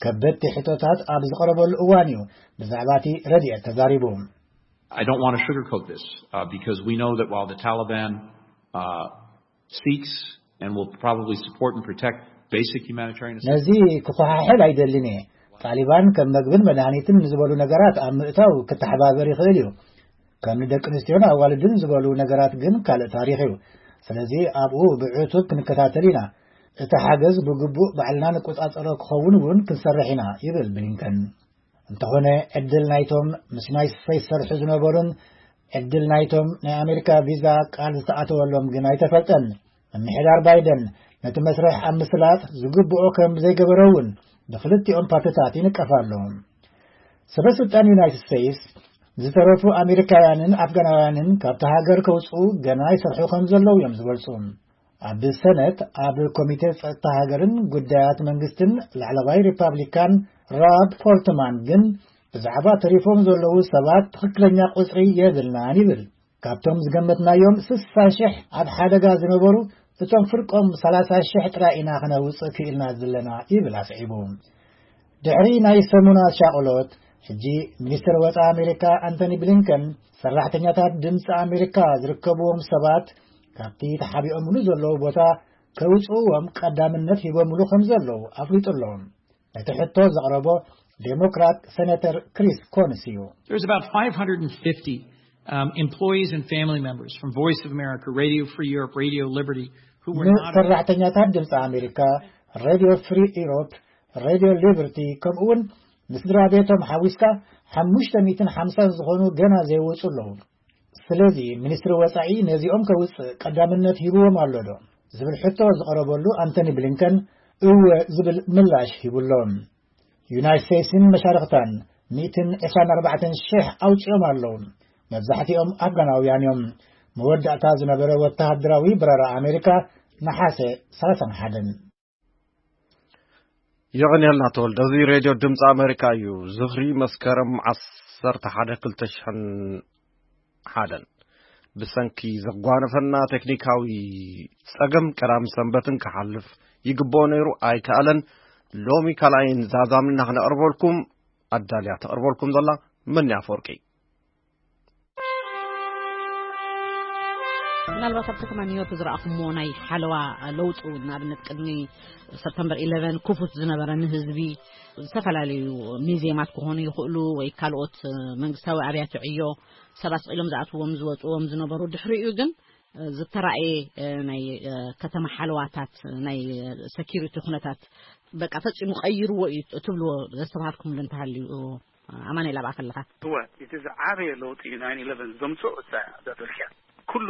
ከበድቲ ሕቶታት ኣብ ዝቐረበሉ እዋን እዩ ብዛዕባ እቲ ረድኤት ተዛሪቡ። I don't want to sugarcoat this uh, because we know that while the Taliban uh, seeks and will probably support and protect basic humanitarian ነዚ assistance, ክኸሓሕል ኣይደልን እየ። ጣሊባን ከም መግብን መድሃኒትን ንዝበሉ ነገራት ኣብ ምእታው ክተሓባበር ይኽእል እዩ። ከም ንደቂ ኣንስትዮን ኣዋልድን ዝበሉ ነገራት ግን ካልእ ታሪኽ እዩ። ስለዚ ኣብኡ ብዕቱብ ክንከታተል ኢና። እቲ ሓገዝ ብግቡእ ባዕልና ንቆጻጸሮ ክኸውን እውን ክንሰርሕ ኢና ይብል ብሊንከን። እንተኾነ ዕድል ናይቶም ምስ ናይ ስፌስ ዝሰርሑ ዝነበሩን ዕድል ናይቶም ናይ ኣሜሪካ ቪዛ ቃል ዝተኣተወሎም ግን ኣይተፈልጠን። ምምሕዳር ባይደን ነቲ መስርሕ ኣብ ምስላጥ ዝግብኦ ከም ዘይገበረ እውን ብክልቲኦም ፓርትታት ይንቀፍ ኣሎ። ሰበ ስልጣን ዩናይትድ ስቴትስ ዝተረፉ ኣሜሪካውያንን ኣፍጋናውያንን ካብቲ ሃገር ከውፅኡ ገና ይሰርሑ ከም ዘለዉ እዮም ዝገልፁ። ኣብ ሰነት ኣብ ኮሚቴ ጸጥታ ሃገርን ጉዳያት መንግስትን ላዕለዋይ ሪፓብሊካን ራብ ፎርትማን ግን ብዛዕባ ተሪፎም ዘለዉ ሰባት ትኽክለኛ ቁጽሪ የብልናን ይብል። ካብቶም ዝገመትናዮም ስሳ ሽሕ ኣብ ሓደጋ ዝነበሩ እቶም ፍርቆም ሰላሳ ሽሕ ጥራይ ኢና ክነውጽእ ክኢልና ዘለና ይብል ኣስዒቡ። ድሕሪ ናይ ሰሙናት ሻቕሎት፣ ሕጂ ሚኒስትር ወጻኢ ኣሜሪካ ኣንቶኒ ብሊንከን ሰራሕተኛታት ድምፂ ኣሜሪካ ዝርከብዎም ሰባት ካብቲ ተሓቢኦምሉ ዘለዉ ቦታ ከውፅእዎም ቀዳምነት ሂቦምሉ ከም ዘለዉ ኣፍሊጡ ኣሎ። ነቲ ሕቶ ዘቕረቦ ዴሞክራት ሴኔተር ክሪስ ኮንስ እዩ። There's about five hundred fifty um, employees and family members from Voice of America, Radio Free Europe, Radio Liberty, who were not ንሰራሕተኛታት ድምፂ ኣሜሪካ፣ ሬድዮ ፍሪ ኢሮፕ፣ ሬድዮ ሊበርቲ፣ ከምኡውን ንስድራ ቤቶም ሓዊስካ ሓሙሽተ ሚእትን ሓምሳን ዝኾኑ ገና ዘይወፁ ኣለዉ። ስለዚ ሚኒስትሪ ወፃኢ ነዚኦም ከውፅእ ቀዳምነት ሂብዎም ኣሎ ዶ ዝብል ሕቶ ዝቐረበሉ ኣንቶኒ ብሊንከን እወ ዝብል ምላሽ ሂቡ ኣሎ። ዩናይት ስቴትስን መሻርኽታን ሚእትን ዕስራን ኣርባዕተን ሽሕ ኣውፂኦም ኣለዉ። መብዛሕትኦም ኣፍጋናውያን እዮም። መወዳእታ ዝነበረ ወተሃደራዊ በረራ ኣሜሪካ ነሓሰ ሰላሳን ሓደን። የቐንየልና ተወልደ። እዚ ሬድዮ ድምፂ ኣሜሪካ እዩ። ዝኽሪ መስከረም ዓሰርተ ሓደ ክልተ ሽሕን ሓደን። ብሰንኪ ዘጓነፈና ቴክኒካዊ ጸገም ቀዳም ሰንበትን ክሓልፍ ይግብኦ ነይሩ፣ ኣይከኣለን። ሎሚ ካልኣይን ዛዛምና ክነቕርበልኩም ኣዳልያ ተቕርበልኩም ዘላ መኒ ኣፈወርቂ። ምናልባት ኣብ ከተማ ኒውዮርክ ዝረኣኹምዎ ናይ ሓለዋ ለውጢ እውን፣ ንኣብነት ቅድሚ ሰፕተምበር ኢለቨን ክፉት ዝነበረ ንህዝቢ ዝተፈላለዩ ሚዚየማት ክኾኑ ይኽእሉ ወይ ካልኦት መንግስታዊ ኣብያተ ዕዮ ሰባት ስቕ ኢሎም ዝኣትዎም ዝወፅዎም ዝነበሩ፣ ድሕሪኡ ግን ዝተራእየ ናይ ከተማ ሓለዋታት ናይ ሰኪሪቲ ኩነታት በቃ ፈፂሙ ቀይርዎ እዩ ትብልዎ ዘስተብሃልኩምሉ እንተሃልዩ? ኣማኑኤል ኣብኣ ከለኻ። እወ፣ እቲ ዝዓበየ ለውጢ ናይን ኢለቨን ዘምፅኦ እሳ እያ እዛ ደርኪያ። ኩሉ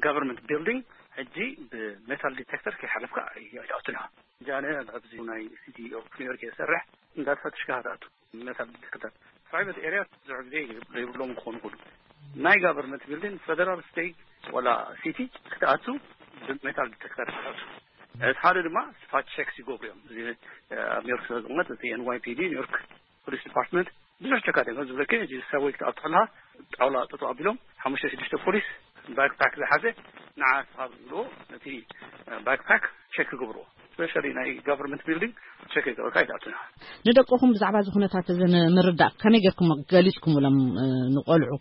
ጋቨርንመንት ቢልዲንግ ሕጂ ብሜታል ዲቴክተር ከይሓለፍካ ኣይትኣቱን ኢኻ። ጃነ ኣብዚ ናይ ሲቲ ኦፍ ኒውዮርክ እየ ዝሰርሕ። እንዳተፈትሽካ ትኣቱ ሜታል ዲቴክተር። ፕራይቨት ኤርያ ብዙሕ ግዜ ዘይብሎም ክኾኑ ይኽእሉ። ናይ ጋቨርንመንት ቢልዲንግ ፌደራል ስቴት ወላ ሲቲ ክትኣቱ ብሜታል ዲቴክተር ክትኣቱ። እቲ ሓደ ድማ ስፋት ቸክስ ይገብሩ እዮም። እዚ ኣብ ኒውዮርክ ስለ ዝቕመጥ እቲ ኤን ዋይ ፒ ዲ፣ ኒውዮርክ ፖሊስ ዲፓርትመንት፣ ብዙሕ ቸክ ኣድርገን ዝብለኪ። እዚ ሰብወይ ክትኣቱ ከለካ ጣውላ ጠጠው ኣቢሎም ሓሙሽተ ሽዱሽተ ፖሊስ ባክፓክ ዝሓዘ ንዓ ስኻ ዝብልዎ ነቲ ባክፓክ ቸክ ይገብርዎ። ስፔሻሊ ናይ ጋቨርንመንት ቢልዲንግ ቸክ ይገብርካ ይትኣቱና። ንደቅኹም ብዛዕባ እዚ ኩነታት እዚ ንምርዳእ ከመይ ጌርኩም ገሊጽኩምሎም ንቆልዑ?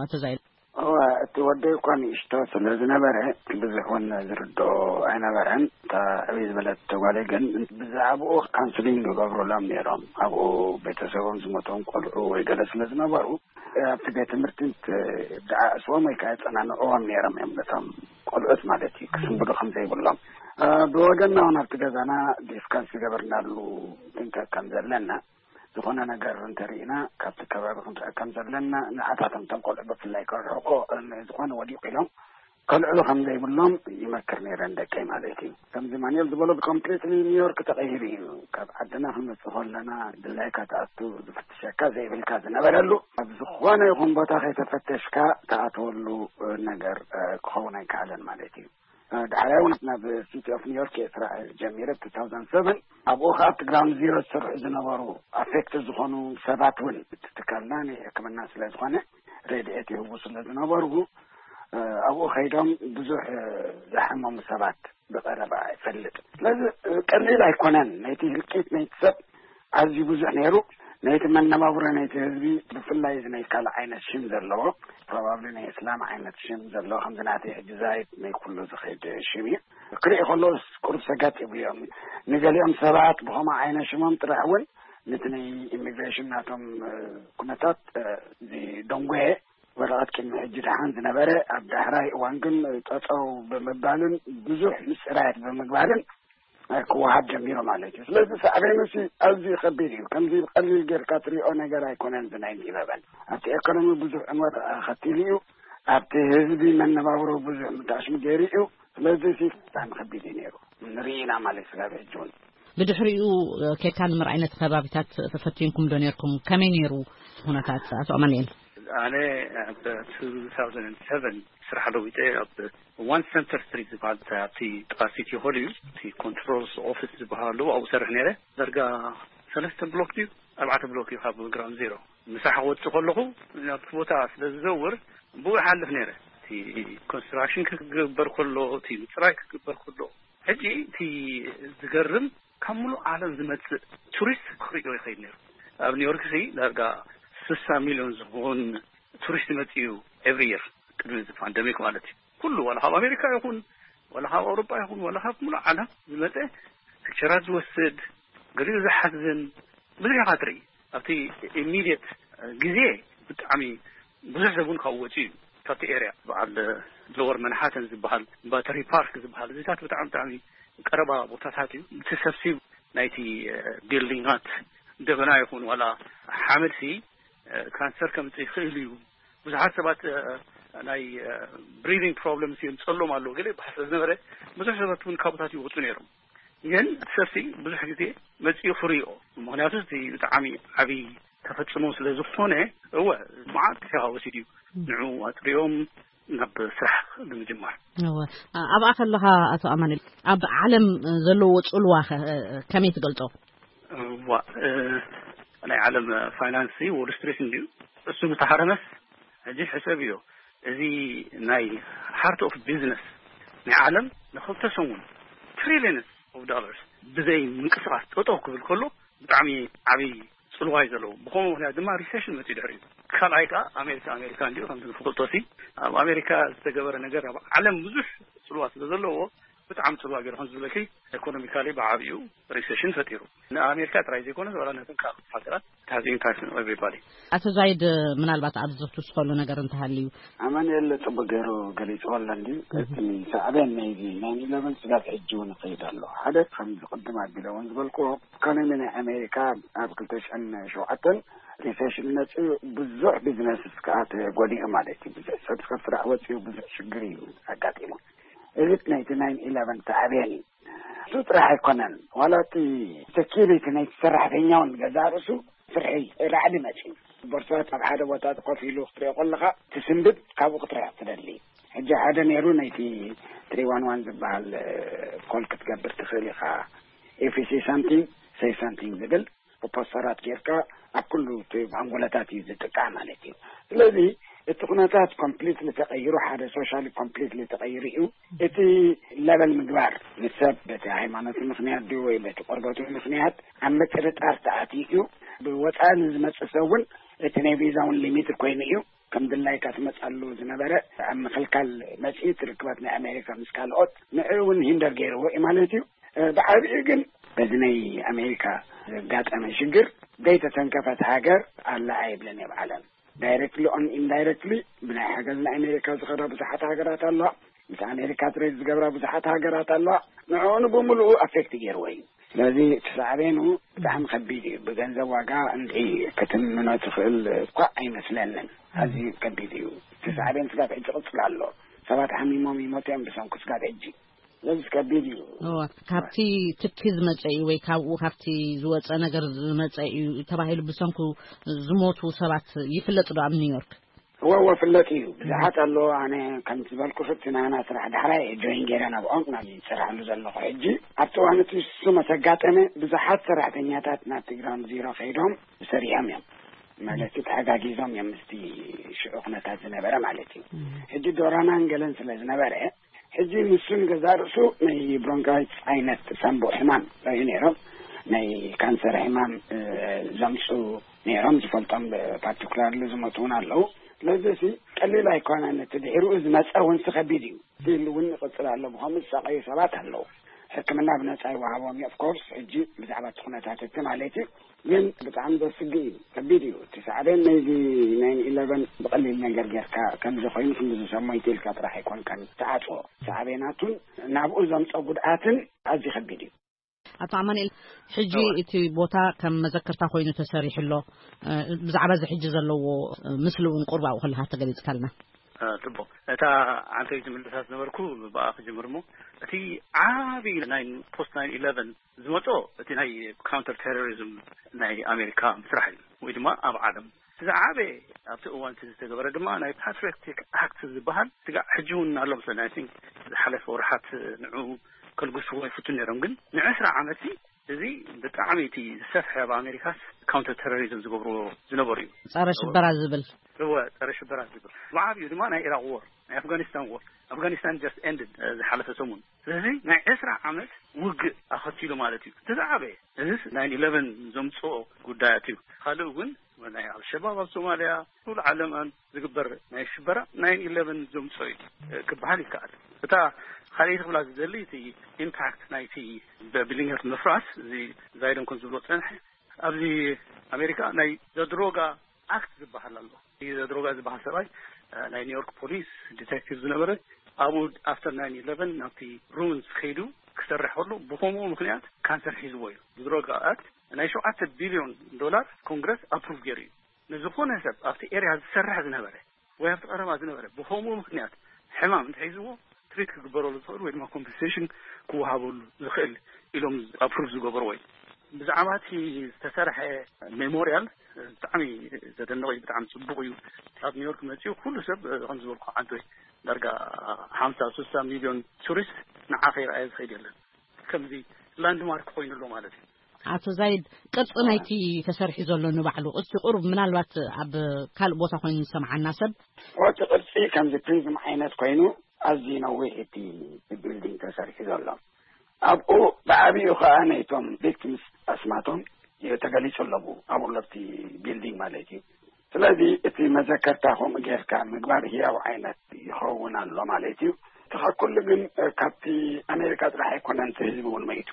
ኣቶ ዛይድ። እዋ፣ እቲ ወደይ እኳ ንእሽቶ ስለ ዝነበረ ብዙሕ እውን ዝርድኦ ኣይነበረን። እታ ዕብይ ዝበለት ጓለይ ግን ብዛዕባኡ ካውንስሊንግ ይገብሩሎም ነይሮም። ኣብኡ ቤተሰቦም ዝሞቶም ቆልዑ ወይ ገለ ስለ ዝነበሩ ኣብቲ ቤት ትምህርቲ ደዓእስዎም ወይ ከዓ የፀናንዕዎም ነይሮም እዮም ነቶም ቆልዑት ማለት እዩ፣ ክስንብዱ ከም ዘይብሎም። ብወገንና እውን ኣብቲ ገዛና ዲስካስ ዝገበርናሉ ጥንቀቅ ከም ዘለና፣ ዝኾነ ነገር እንተርኢና ካብቲ ከባቢ ክንርሕቅ ከም ዘለና፣ ንዓታቶም እቶም ቆልዑ ብፍላይ ከርሕቆ ዝኾነ ወዲቑ ኢሎም ከልዕሉ ከም ዘይብሎም ይመክር ነይረ ንደቀይ ማለት እዩ። ከምዚ ማንኤል ዝበሎ ኮምፕሊትሊ ኒውዮርክ ተቐይሩ እዩ። ካብ ዓድና ክንመጽእ ከለና ድላይካ ትኣቱ፣ ዝፍትሸካ ዘይብልካ ዝነበረሉ፣ ኣብ ዝኾነ ይኹን ቦታ ከይተፈተሽካ ትኣትወሉ ነገር ክኸውን ኣይከኣለን ማለት እዩ። ዳሕራይ እውን ናብ ሲቲ ኦፍ ኒውዮርክ እየ ስራሕ ጀሚረ two thousand seven። ኣብኡ ከዓ ኣብቲ ግራውንድ ዚሮ ዝሰርሑ ዝነበሩ ኣፌክት ዝኾኑ ሰባት እውን፣ እቲ ትካልና ናይ ሕክምና ስለ ዝኾነ ረድኤት ይህቡ ስለ ዝነበሩ፣ ኣብኡ ከይዶም ብዙሕ ዝሓመሙ ሰባት ብቐረባ ይፈልጥ። ስለዚ ቀሊል ኣይኮነን። ናይቲ ህልቂት ናይቲ ሰብ ኣዝዩ ብዙሕ ነይሩ። ናይቲ መነባብሮ ናይቲ ህዝቢ፣ ብፍላይ እዚ ናይ ካልእ ዓይነት ሽም ዘለዎ፣ ፕሮባብሊ ናይ እስላም ዓይነት ሽም ዘለዎ፣ ከምዚ ናተይ ሕጂ ዛይድ ናይ ኩሉ ዝኸይድ ሽም እዩ። ክርኢ ከለውስ ቁሩብ ሰጋጥ ይብሉ እዮም። ንገሊኦም ሰባት ብኸምኡ ዓይነት ሽሞም ጥራሕ እውን ነቲ ናይ ኢሚግሬሽን ናቶም ኩነታት ዝደንጎየ፣ ወረቐት ቅድሚ ሕጂ ደሓን ዝነበረ ኣብ ዳሕራይ እዋን ግን ጠጠው ብምባልን ብዙሕ ምፅራያት ብምግባርን ክወሃብ ጀሚሩ ማለት እዩ። ስለዚ ሳዕቤኑ ሲ ኣዝዩ ከቢድ እዩ። ከምዚ ብቐሊል ጌርካ ትሪኦ ነገር ኣይኮነን። እዚ ናይ ኢለቨን ኣብቲ ኤኮኖሚ ብዙሕ ዕንወት ኣኸቲሉ እዩ። ኣብቲ ህዝቢ መነባብሮ ብዙሕ ምታሽሙ ገይሩ እዩ። ስለዚ ሲ ብጣዕሚ ከቢድ እዩ ነይሩ። ንርኢ ኢና ማለት ስጋብ ሕጂ እውን። ብድሕሪኡ ኬድካ ንምርኣይ ነቲ ከባቢታት ተፈቲንኩም ዶ ነርኩም? ከመይ ነይሩ ኩነታት ኣቶ ኣማኑኤል? ኣነ ኣብ two thousand seven ስራሕ ለዊጠ ኣብ ዋን ሰንተር ስትሪት ዝበሃል ኣብቲ ጥቓ ሲቲ ሆል እዩ፣ እቲ ኮንትሮልስ ኦፊስ ዝበሃል ኣለዎ፣ ኣብኡ ሰርሕ ነይረ። ዳርጋ ሰለስተ ብሎክ ድዩ ኣርባዕተ ብሎክ እዩ ካብ ግራውንድ ዜሮ። ምሳሕ ክወፅእ ከለኹ ናብቲ ቦታ ስለ ዝዘውር ብኡ ይሓልፍ ነይረ። እቲ ኮንስትራክሽን ክግበር ከሎ፣ እቲ ምፅራይ ክግበር ከሎ፣ ሕጂ እቲ ዝገርም ካብ ሙሉእ ዓለም ዝመፅእ ቱሪስት ክርእዮ ይኸይድ ነይሩ። ኣብ ኒውዮርክ ሲ ዳርጋ ስሳ ሚሊዮን ዝኸውን ቱሪስት ይመፅእ እዩ ኤቭሪ የር፣ ቅድሚ እዚ ፓንደሚክ ማለት እዩ። ኩሉ ዋላ ካብ ኣሜሪካ ይኹን ዋላ ካብ ኣውሮጳ ይኹን ዋላ ካብ ሙሉእ ዓለም ዝመፀ ፒክቸራት ዝወስድ፣ ገሊኡ ዝሓዝን ብዙሕ ኢኻ ትርኢ። ኣብቲ ኢሚድየት ግዜ ብጣዕሚ ብዙሕ ሰብ እውን ካብኡ ወፂኡ እዩ። ካብቲ ኤርያ በዓል ሎወር መንሃተን ዝበሃል፣ ባተሪ ፓርክ ዝበሃል፣ እዚታት ብጣዕሚ ብጣዕሚ ቀረባ ቦታታት እዩ። እቲ ሰብሲ ናይቲ ቢልዲንጋት ደበና ይኹን ዋላ ሓመድ ሲ ካንሰር ከምፅእ ይኽእል እዩ። ብዙሓት ሰባት ናይ ብሪዲንግ ፕሮብለምስ የምፀሎም ኣለዉ ገለ ይበሃል ስለ ዝነበረ ብዙሕ ሰባት እውን ካብታት ይወፁ ነይሮም። ግን እቲ ሰብሲ ብዙሕ ግዜ መፂኡ ክርእዮ፣ ምክንያቱ እቲ ብጣዕሚ ዓብዪ ተፈፅሞ ስለ ዝኾነ፣ እወ መዓት ግዜኻ ወሲዱ እዩ። ንዑ ኣፅርዮም ናብ ስራሕ ንምጅማር። እወ። ኣብኣ ከለኻ ኣቶ ኣማኑኤል፣ ኣብ ዓለም ዘለዎ ፅልዋ ከ ከመይ ትገልፆ? እዋ፣ ናይ ዓለም ፋይናንስ ዎል ስትሪት እንድዩ። እሱ ምተሃረመስ ሕጂ ሕሰብ እዮ። እዚ ናይ ሃርት ኦፍ ቢዝነስ ናይ ዓለም ንክልተ ሰሙን ትሪሊየንስ ኦፍ ዶላርስ ብዘይ ምንቅስቃስ ጠጠው ክብል ከሎ ብጣዕሚ ዓብዪ ፅልዋ እዩ ዘለዎ። ብኸምኡ ምክንያት ድማ ሪሴሽን መፅኡ ድሕሪ እዩ። ካልኣይ ከዓ ኣሜሪካ ኣሜሪካ እንዲሁ ከምቲ ንፍልጦ ሲ ኣብ ኣሜሪካ ዝተገበረ ነገር ኣብ ዓለም ብዙሕ ፅልዋ ስለ ዘለዎ ብጣዕሚ ፅልዋ ገይሩ ከም ዝብለኪ ኢኮኖሚካሊ ብዓብዩ ሪሴሽን ፈጢሩ ንኣሜሪካ ጥራይ ዘይኮነ ዋላ ነተን ካልኦት ሃገራት it has impact on everybody። ኣቶ ዛይድ ምናልባት ኣብዚ ክትውስኸሉ ነገር እንተሃልዩ። ኣማኑኤል ፅቡቅ ገይሩ ገሊፅዎ ኣሎ እንድዩ። እቲ ሳዕቤን ናይዚ ናይን ኢለቨን ስጋብ ሕጂ እውን ይኸይድ ኣሎ። ሓደ ከምዚ ቅድም ኣቢለ እውን ዝበልክዎ ኢኮኖሚ ናይ ኣሜሪካ ኣብ ክልተ ሽሕን ሸውዓተን ሪሴሽን መፅኡ ብዙሕ ቢዝነስ ከዓ ተጎዲኡ ማለት እዩ። ብዙሕ ሰብ ካብ ስራሕ ወፂኡ ብዙሕ ሽግር እዩ ኣጋጢሙ። እዚ ናይቲ ናይን ኢለቨን ሳዕቤን እዩ። እሱ ጥራሕ ኣይኮነን፣ ዋላ እቲ ሰኪሪቲ ናይቲ ሰራሕተኛ እውን ገዛእ ርእሱ ፍርሒ ራዕዲ መፂኡ። ቦርሳት ኣብ ሓደ ቦታ ኮፍ ኢሉ ክትሪኦ ከለኻ ትስንብድ፣ ካብኡ ክትርሕቕ ትደሊ። ሕጂ ሓደ ነይሩ ናይቲ ትሪ ዋን ዋን ዝበሃል ኮል ክትገብር ትኽእል ኢኻ። If you see something, say something ዝብል ብፖስተራት ጌርካ ኣብ ኩሉ እቲ ኣንጎላታት እዩ ዝጥቃዕ ማለት እዩ። ስለዚ እቲ ኩነታት ኮምፕሊትሊ ተቐይሩ፣ ሓደ ሶሻሊ ኮምፕሊትሊ ተቐይሩ እዩ። እቲ ለበል ምግባር ንሰብ በቲ ሃይማኖቱ ምኽንያት ድዩ ወይ በቲ ቆርበቱ ምኽንያት ኣብ ምጥርጣር ተኣትዩ እዩ። ብወፃኢ ንዝመፅእ ሰብ እውን እቲ ናይ ቪዛ እውን ሊሚት ኮይኑ እዩ። ከም ድላይካ ትመፅኣሉ ዝነበረ ኣብ ምኽልካል መፅኡ ትርክባት ናይ ኣሜሪካ ምስ ካልኦት ንዕኡ እውን ሂንደር ገይርዎ እዩ ማለት እዩ። ብዓብኡ ግን በዚ ናይ ኣሜሪካ ዘጋጠመ ሽግር ዘይተተንከፈት ሃገር ኣላ ኣይብለን እየ ብዓለም። ዳይረክትሊ ኦን ኢንዳይረክትሊ ብናይ ሓገዝ ናይ ኣሜሪካ ዝኸዳ ብዙሓት ሃገራት ኣለዋ። ምስ ኣሜሪካ ትሬድ ዝገብራ ብዙሓት ሃገራት ኣለዋ። ንዕኡ ብሙሉኡ ኣፌክት ገይርዎ እዩ። ስለዚ እቲ ሳዕቤኑ ብጣዕሚ ከቢድ እዩ። ብገንዘብ ዋጋ እንዲ ክትምኖ ትኽእል እኳ ኣይመስለንን። ኣዝዩ ከቢድ እዩ። እቲ ሳዕቤን ስጋብ ሕጂ ይቕፅል ኣሎ። ሰባት ሓሚሞም ይሞቱ እዮም ብሰንኩ ስጋብ ሕጂ። ስለዚ ከቢድ እዩ። እዋ፣ ካብቲ ትኪ ዝመፀ እዩ ወይ ካብኡ ካብቲ ዝወፀ ነገር ዝመፀ እዩ ተባሂሉ ብሰንኩ ዝሞቱ ሰባት ይፍለጥ ዶ ኣብ ኒውዮርክ? እወ፣ እወ፣ ፍለጥ እዩ። ብዙሓት ኣለዎ። ኣነ ከም ዝበልኩ እቲ ናና ስራሕ ዳሕራይ ጆይን ገይረ ናብኦም ናብ ዝሰርሓሉ ዘለኹ ሕጂ። ኣብቲ እዋን እቲ እሱ መሰጋጠመ ብዙሓት ሰራሕተኛታት ናብቲ ግራውንድ ዚሮ ከይዶም ሰሪሖም እዮም። ማለት ተሓጋጊዞም እዮም ምስቲ ሽዑ ኩነታት ዝነበረ ማለት እዩ። ሕጂ ዶራናን ገለን ስለ ዝነበረ ሕጂ ንሱ ንገዛእ ርእሱ ናይ ብሮንካይትስ ዓይነት ሳምቡእ ሕማም እዩ ነይሮም። ናይ ካንሰር ሕማም ዘምፁ ነይሮም። ዝፈልጦም ፓርቲኩላርሊ ዝሞቱ እውን ኣለዉ። ስለዚ ሲ ቀሊል ኣይኮነን። እቲ ድሕሪኡ ዝመፀ እውን ሲ ከቢድ እዩ። ስቲል እውን ይቕፅል ኣሎ። ብኸምኡ ዝሳቐዩ ሰባት ኣለዉ። ሕክምና ብነፃ ይወሃቦም እዩ። ኦፍኮርስ ሕጂ ብዛዕባ እቲ ኩነታት እቲ ማለት እዩ። ግን ብጣዕሚ ዘስግእ እዩ። ከቢድ እዩ። እቲ ሳዕቤን ናይዚ ናይን ኢለቨን ብቐሊል ነገር ጌርካ ከምዚ ኮይኑ ክንዲ ዝሰሞይቲ ኢልካ ጥራሕ ኣይኮንካን ትዓፅዎ። ሳዕቤናቱን ናብኡ ዘምፀ ጉድኣትን ኣዝዩ ከቢድ እዩ። ኣቶ ኣማኑኤል፣ ሕጂ እቲ ቦታ ከም መዘክርታ ኮይኑ ተሰሪሑ ኣሎ። ብዛዕባ እዚ ሕጂ ዘለዎ ምስሊ እውን ቁርባኡ ከለካ ተገሊፅካልና። ጽቡቕ። እታ ዓንተይ ዝምልሳ ዝነበርኩ ብኣ ክጅምር እሞ፣ እቲ ዓቢ ናይ ፖስት ናይን ኢለቨን ዝመጾ እቲ ናይ ካውንተር ቴሮሪዝም ናይ ኣሜሪካ ምስራሕ እዩ፣ ወይ ድማ ኣብ ዓለም እቲ ዝዓበየ ኣብቲ እዋን እቲ ዝተገበረ ድማ ናይ ፓትሪዮቲክ ኣክት ዝበሃል ስጋዕ ሕጂ እውን ኣሎ መስለኒ። I think ዝሓለፈ ወርሓት ንዑ ከልግስዎ ይፍቱ ነይሮም፣ ግን ንዕስራ ዓመት እዚ ብጣዕሚ እቲ ዝሰፍሐ ኣብ ኣሜሪካስ ካውንተር ቴሮሪዝም ዝገብርዎ ዝነበሩ እዩ። ጸረ ሽበራ ዝብል። እወ፣ ጸረ ሽበራ ዝብል። ብዓብዩ ድማ ናይ ኢራቅ ዎር፣ ናይ ኣፍጋኒስታን ዎር። ኣፍጋኒስታን just ended ዝሓለፈ ሰሙን። ስለዚ ናይ ዕስራ ዓመት ውግእ ኣኸቲሉ ማለት እዩ። እቲ ዝዓበየ እዚስ ናይን ኢለቨን ዘምፅኦ ጉዳያት እዩ። ካልእ እውን ናይ ኣልሸባብ ኣብ ሶማልያ፣ ኩሉ ዓለም ዝግበር ናይ ሽበራ ናይን ኢለቨን ዘምፅኦ እዩ ክበሃል ይከኣል። እታ ካልኣይቲ ክብላ ዝደሊ እቲ ኢምፓክት ናይቲ በቢሊንገር ምፍራስ፣ እዚ ዛይደን ኮን ዝብሎ ፀንሐ። ኣብዚ ኣሜሪካ ናይ ዘድሮጋ ኣክት ዝበሃል ኣሎ። እዚ ዘድሮጋ ዝበሃል ሰብኣይ ናይ ኒውዮርክ ፖሊስ ዲቴክቲቭ ዝነበረ፣ ኣብኡ ኣፍተር ናይን ኢለቨን ናብቲ ሩምስ ከይዱ ክሰርሕ ከሎ ብከምኡ ምክንያት ካንሰር ሒዝዎ እዩ። ዘድሮጋ ኣክት ናይ ሸውዓተ ቢልዮን ዶላር ኮንግረስ ኣፕሩቭ ገይሩ እዩ። ንዝኾነ ሰብ ኣብቲ ኤርያ ዝሰርሕ ዝነበረ ወይ ኣብቲ ቀረባ ዝነበረ ብከምኡ ምክንያት ሕማም እንተሒዝዎ ትሪት ክግበረሉ ዝኽእል ወይ ድማ ኮምፐንሴሽን ክወሃበሉ ዝኽእል ኢሎም ኣፕሩቭ ዝገበርዎ እዩ። ብዛዕባ እቲ ዝተሰርሐ ሜሞሪያል ብጣዕሚ ዘደንቕ እዩ፣ ብጣዕሚ ጽቡቕ እዩ። ካብ ኒውዮርክ መጺኡ ኩሉ ሰብ ከም ዝበልኩ ዓንቶይ ዳርጋ ሓምሳ ስሳ ሚልዮን ቱሪስት ንዓ ከይረኣየ ዝኸይድ የለን። ከምዚ ላንድማርክ ኮይኑ ኣሎ ማለት እዩ። ኣቶ ዛይድ፣ ቅርጺ ናይቲ ተሰሪሑ ዘሎ ንባዕሉ እስቲ ቁሩብ ምናልባት ኣብ ካልእ ቦታ ኮይኑ ዝሰምዓና ሰብ። እቲ ቅርጺ ከምዚ ፕሪዝም ዓይነት ኮይኑ ኣዝዩ ነዊሕ እቲ ቢልዲንግ ተሰሪሑ ዘሎ። ኣብኡ ብዓብኡ ከዓ ናይቶም ቪክቲምስ ኣስማቶም ተገሊጹ ኣለዉ ኣብኡ ለብቲ ቢልዲንግ ማለት እዩ። ስለዚ እቲ መዘከርታ ከምኡ ጌርካ ምግባር ህያው ዓይነት ይኸውን ኣሎ ማለት እዩ። እቲ ካብ ኩሉ ግን ካብቲ ኣሜሪካ ጥራሕ ኣይኮነን፣ እቲ ህዝቢ እውን መይቱ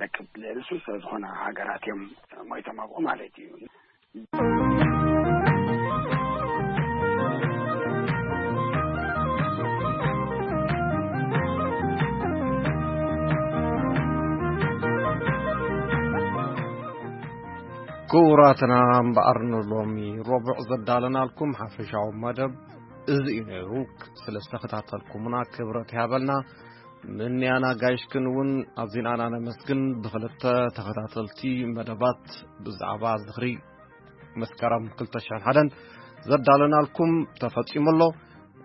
ደቂ ልዕሊ ስልሳ ዝኾና ሃገራት እዮም ሞይቶም ኣብኡ ማለት እዩ። ክቡራትና እምበኣር ንሎሚ ረቡዕ ዘዳለናልኩም ሓፈሻዊ መደብ እዚ እዩ ነይሩ። ስለ ዝተኸታተልኩምና ክብረት ይሃበልና። ምንያና ጋይሽክን እውን ኣዚና ነመስግን። ብክልተ ተኸታተልቲ መደባት ብዛዕባ ዝኽሪ መስከረም ክልተ ሽሕን ሓደን ዘዳለናልኩም ተፈጺሙ ኣሎ።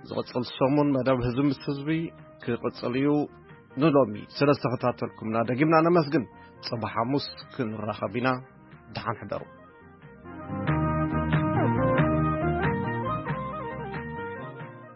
ዝቕጽል ሰሙን መደብ ህዝቢ ምስ ህዝቢ ክቕጽል እዩ። ንሎሚ ስለ ዝተኸታተልኩምና ደጊምና ነመስግን። ጽባሕ ሓሙስ ክንራኸብ ኢና። ደሓን ሕደሩ።